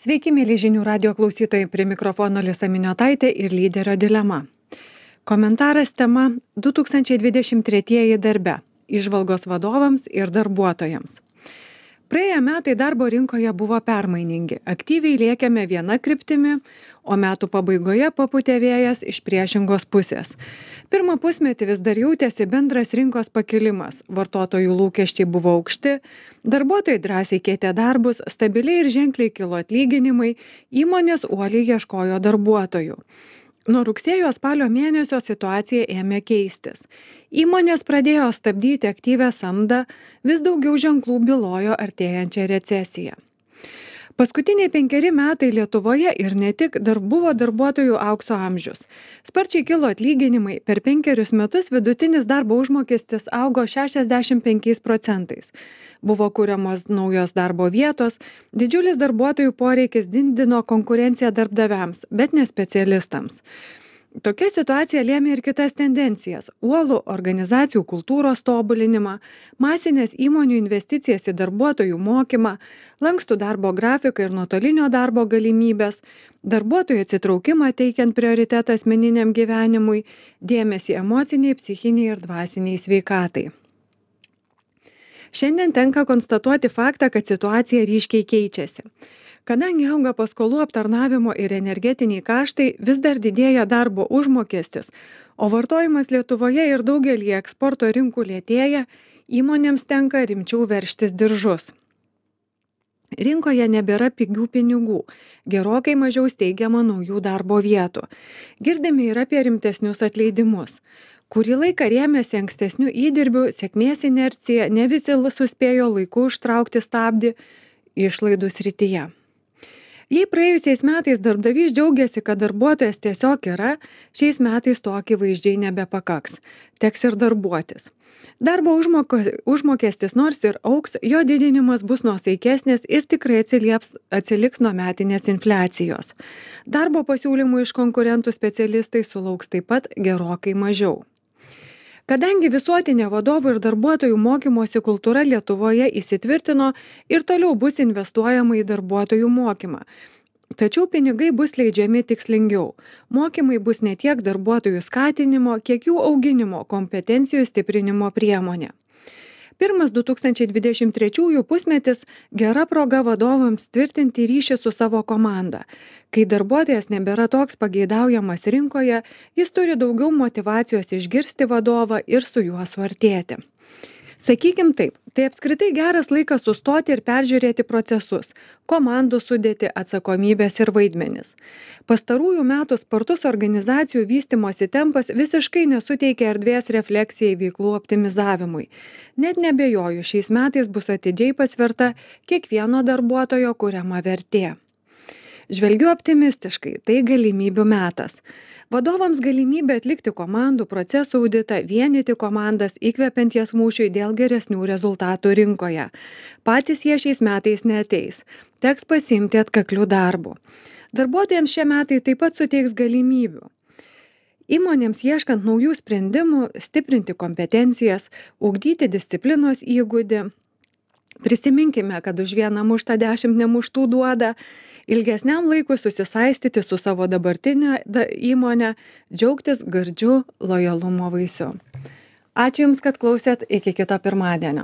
Sveiki, mėly žinių radio klausytojai, prie mikrofono Lisa Miniotaitė ir lyderio dilema. Komentaras tema 2023 darbe - įžvalgos vadovams ir darbuotojams. Praėję metai darbo rinkoje buvo permainingi, aktyviai lėkėme viena kryptimi, o metų pabaigoje papūtė vėjas iš priešingos pusės. Pirmą pusmetį vis dar jautėsi bendras rinkos pakilimas, vartotojų lūkesčiai buvo aukšti, darbuotojai drąsiai keitė darbus, stabiliai ir ženkliai kilo atlyginimai, įmonės uoliai ieškojo darbuotojų. Nuo rugsėjo spalio mėnesio situacija ėmė keistis. Įmonės pradėjo stabdyti aktyvę samdą, vis daugiau ženklų bylojo artėjančią recesiją. Paskutiniai 5 metai Lietuvoje ir ne tik buvo darbuotojų aukso amžius. Sparčiai kilo atlyginimai, per 5 metus vidutinis darbo užmokestis augo 65%. Buvo kuriamos naujos darbo vietos, didžiulis darbuotojų poreikis didino konkurenciją darbdaviams, bet ne specialistams. Tokia situacija lėmė ir kitas tendencijas - uolų organizacijų kultūros tobulinimą, masinės įmonių investicijas į darbuotojų mokymą, lankstų darbo grafiką ir nuotolinio darbo galimybės, darbuotojų atsitraukimą teikiant prioritetą asmeniniam gyvenimui, dėmesį emociniai, psichiniai ir dvasiniai sveikatai. Šiandien tenka konstatuoti faktą, kad situacija ryškiai keičiasi. Kadangi auga paskolų aptarnavimo ir energetiniai kaštai, vis dar didėja darbo užmokestis, o vartojimas Lietuvoje ir daugelį eksporto rinkų lėtėja, įmonėms tenka rimčiau veržtis diržus. Rinkoje nebėra pigių pinigų, gerokai mažiau steigiama naujų darbo vietų. Girdime ir apie rimtesnius atleidimus. Kurį laiką rėmėsi ankstesnių įdirbių, sėkmės inercija, ne visi suspėjo laiku užtraukti stabdį išlaidų srityje. Jei praėjusiais metais darbdavys džiaugiasi, kad darbuotojas tiesiog yra, šiais metais to akivaizdžiai nebepakaks. Teks ir darbuotis. Darbo užmokestis nors ir auks, jo didinimas bus nuosaikesnis ir tikrai atsiliks nuo metinės infliacijos. Darbo pasiūlymų iš konkurentų specialistai sulauks taip pat gerokai mažiau. Kadangi visuotinė vadovų ir darbuotojų mokymosi kultūra Lietuvoje įsitvirtino ir toliau bus investuojama į darbuotojų mokymą. Tačiau pinigai bus leidžiami tikslingiau. Mokymai bus ne tiek darbuotojų skatinimo, kiek jų auginimo, kompetencijų stiprinimo priemonė. Pirmas 2023 pusmetis gera proga vadovams tvirtinti ryšį su savo komanda. Kai darbuotojas nebėra toks pageidaujamas rinkoje, jis turi daugiau motyvacijos išgirsti vadovą ir su juo suartėti. Sakykim taip, tai apskritai geras laikas sustoti ir peržiūrėti procesus, komandų sudėti, atsakomybės ir vaidmenis. Pastarųjų metų spartus organizacijų vystymosi tempas visiškai nesuteikia erdvės refleksijai veiklų optimizavimui. Net nebejoju, šiais metais bus atidžiai pasverta kiekvieno darbuotojo kuriama vertė. Žvelgiu optimistiškai, tai galimybių metas. Vadovams galimybė atlikti komandų procesų auditą, vienyti komandas, įkvepiant jas mūšiui dėl geresnių rezultatų rinkoje. Patys jie šiais metais neateis. Teks pasiimti atkaklių darbų. Darbuotojams šie metai taip pat suteiks galimybių. Įmonėms ieškant naujų sprendimų, stiprinti kompetencijas, ugdyti disciplinos įgūdį. Prisiminkime, kad už vieną muštą 10 nemuštų duoda. Ilgesniam laikui susisaistyti su savo dabartinė įmonė, džiaugtis gardžiu lojalumo vaisiu. Ačiū Jums, kad klausėt, iki kito pirmadienio.